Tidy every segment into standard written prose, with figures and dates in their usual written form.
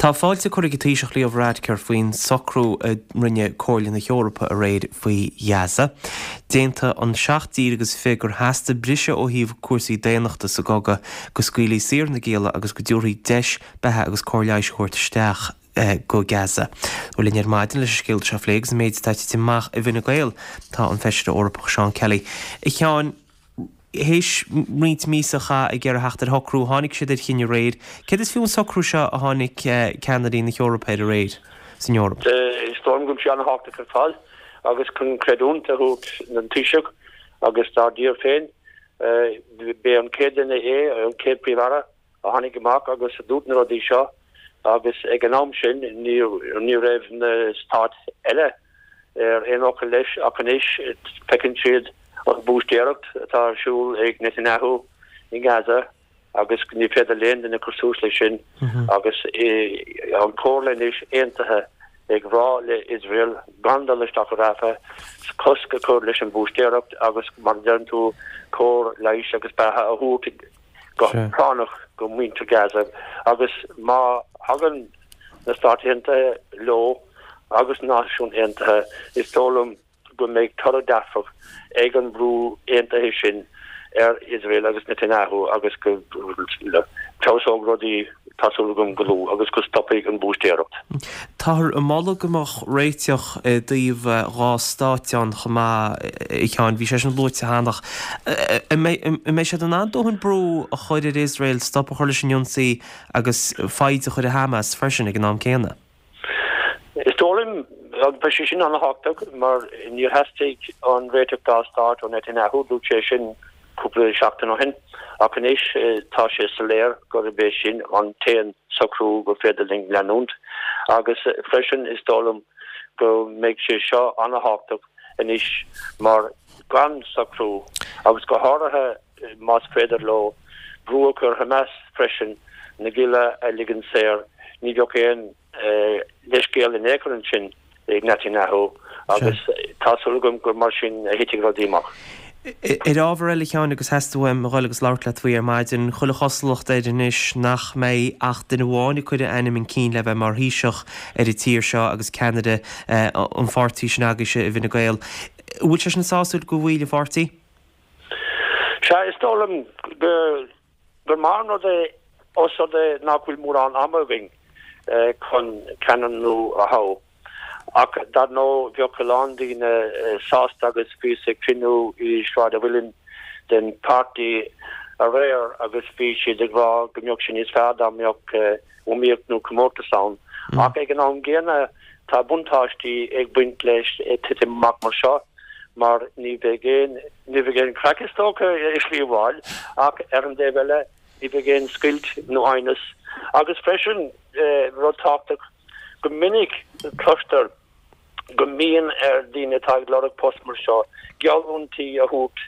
Tá fáilte curtha ag an Taoiseach Leo Varadkar faoin socrú a rinne Comhairle na hEorpa aréir faoi Ghaza. D'aontaigh an 7 dtír agus 20 gur theastaigh briseadh ó thaobh cúrsaí daonnachta sa gcogadh, go scaoilfí saor na gialla agus go dtabharfaí deis beatha agus cóir leighis a thabhairt isteach go Gaza. Bhuel linn ar maidin leis an scéal seo a phlé agus an méid atá tite amach i bhFine Gael tá an Feisire Eorpach Seán Kelly. A Sheáin, théis roinnt míosa a chaitheamh ag iarraidh theacht ar shocrú, tháinig siad ar chinneadh aréir. Céard is fiú an socrú seo a tháinig ceannairí na hEorpa air aréir san Eoraip? Is dóigh liom go bhfuil sé an-thábhachtach ar fad agus chun creidiúint a thabhairt don Taoiseach agus dár dtír féin, b'é an chéad duine é, an chéad Phríomh-Aire, a tháinig amach agus a dúirt na rudaí seo agus ag an am sin ní raibh na stáit eile ar aon fhocal leis ach anois feiceann siad an búistéireacht atá ar siúl ag Netanyahu i nGaza agus ní féidir le aon duine cur suas leis sin agus an Chomhairle anois aontaithe ag rá le Iosrael gan dul isteach i Rafah, cosc a chur leis an bhúistéireacht agus mar a deireann tú cóir leighis agus beatha a thabhairt go práinneach go muintir Gaza agus má thagann na Stáit Aontaithe leo agus na Náisiúin Aontaithe is dóigh liom go mbeidh toradh dearfach ag an bhrú aontaithe sin ar Iosrael agus Netanyahu agus go bhfeabhsóidh rudaí, tá súil agam, go luath agus go stopfaidh an bhúistéireacht. Táthar ag moladh go mbeadh réiteach i dtaobh 2 stáit ann chomh maith, a Sheáin. Bhí sé sin luaite cheana. An mbeidh siad in ann dóthain brú a chur ar Iosrael stop a chur leis an ionsaí agus foighid a chur ar Hamas freisin ag an am céanna? Is dóigh liom, agus beidh sé sin an-thábhachtach, mar níor theastaigh an réiteach dá stát ó Netanyahu, dúirt sé sin cúpla seachtain ó shin, ach anois tá sé soiléir gurb é sin an t-aon socrú gur féidir linn leanúint. Agus freisin is dóigh liom go mbeidh sé seo an-thábhachtach anois mar gan socrú, agus go háirithe más féidir leo brú a chur ar Hamas freisin na gialla a ligean saor, ní bheadh aon leithscéal in aon chor ansin ag Netanyahu agus tá súil agam gur mar sin a thitfidh rudaí amach. Ar ábhar eile, a Sheáin, agus theastaigh uaim a dhul agus labhairt leat faoi ar maidin, chuile chosúlacht air anois nach mbeidh ach duine amháin ag cur a ainm chun cinn le bheith mar Thaoiseach ar an tír seo agus ceannaire an pháirtí sin agaibhse i bhFine Gael. An bhfuil sé sin sásúil do bhaill an pháirtí? Sea, is dóigh liom gur maith an rud é os rud é nach bhfuil mórán ama againn chun ceannaire nua a thoghadh. Ach dar ndóigh bheadh a lán daoine sásta agus bhíos ag cruinniú i Sráid an Mhuilinn den pháirtí aréir agus bhí siad ag rá go mbeadh sé níos fearr dá mbeadh iomaíocht nó comórtas ann. Ach ag an am gcéanna tá buntáistí ag baint leis titim amach mar seo mar ní bheidh aon, ní bheidh aon chraic is dócha i slí amháin ach ar an dtaobh eile ní bheidh aon scoilt nó aighneas. Agus freisin rud tábhachtach, go minic cloistear go mbíonn ar dhaoine atá ag lorg post mar seo geallúintí a thabhairt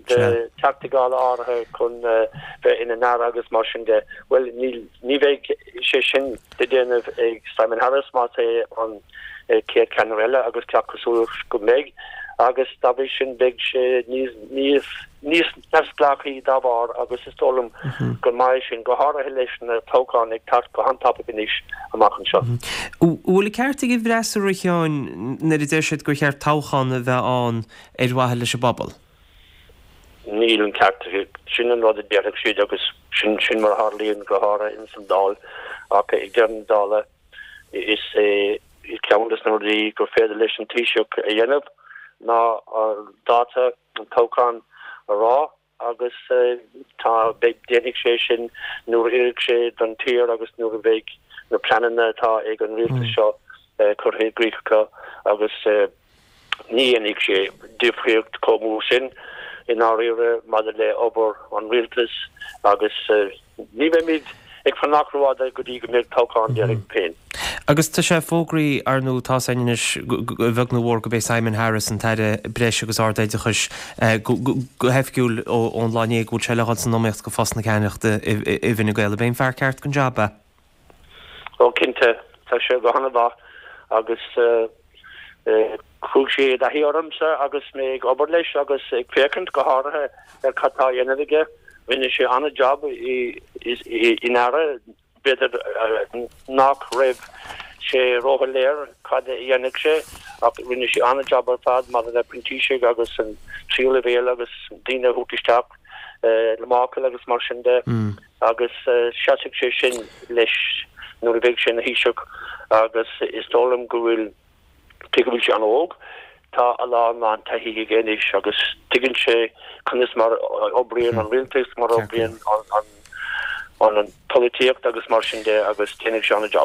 do Theachtaí Dála áirithe chun bheith ina n-aire agus mar sin de. Bhuel, ní bheidh sé sin le déanamh ag Simon Harris más é an chéad cheannaire eile agus gach cosúlacht go mbeidh agus dá bhrí sin beidh sé níos níos neamhspleáchaí dá bharr agus is dóigh liom gur maith é sin, go háirithe leis na toghcháin ag teacht go han-tapaidh anois amach anseo. An bhfuil an ceart ag an bhfreasúra, a Sheáin, nuair a deir siad gur cheart toghchán a bheith ann ar mhaithe leis an bpobal? Níl an ceart acu. Sin an rud a déarfadh siad agus sin sin mar a tharlaíonn go háirithe ins an Dáil ach ag deireadh na dála is é ceann de na rudaí gur féidir leis an Taoiseach a dhéanamh ná dáta an toghchán a rá agus tá, beidh, déanfaidh sé sin nuair a oirfidh sé don tír agus nuair a bheidh na pleananna atá ag an rialtas seo curtha i gcrích acu agus ní dhéanfaidh sé difríocht chomh mór sin i ndáiríre maidir le obair an rialtais agus Ní bheimid ag fanacht rófhada go dtí go mbeidh toghchán déarfainn féin. Agus tá sé fógraithe, ar ndóigh, tá's againn anois, a bheag nó a mhór, gurb é Simon Harris an tAire Breise agus Ard-Oideachais go hoifigiúil ón lá inné go bhfuil sé le dhul san iomaíocht go phost na ceannaireachta i bhFine Gael. Ab é an fear ceart don jab é? Ó cinnte, tá sé go han-mhaith agus chuaigh sé i dtaithí ormsa agus mé ag obair leis agus ag féachaint go háirithe ar cad tá á dhéanamh aige. Rinne sé an-jab ina aire. B'fhéidir nach raibh sé róshoiléir cad a dhéanfadh sé ach rinne sé an-jab ar fad maidir le printísigh agus an tríú leibhéal agus daoine a thabhairt isteach le máchail agus mar sin de agus seasfaidh sé sin leis nuair a bheidh sé ina Thaoiseach agus is dóigh liom go bhfuil Cé go bhfuil sé an-óg, tá a lán lán taithí aige anois agus tuigeann sé conas mar a oibríonn an rialtas, mar a oibríonn an an polaitíocht agus mar sin de agus déanfaidh sé an-jab.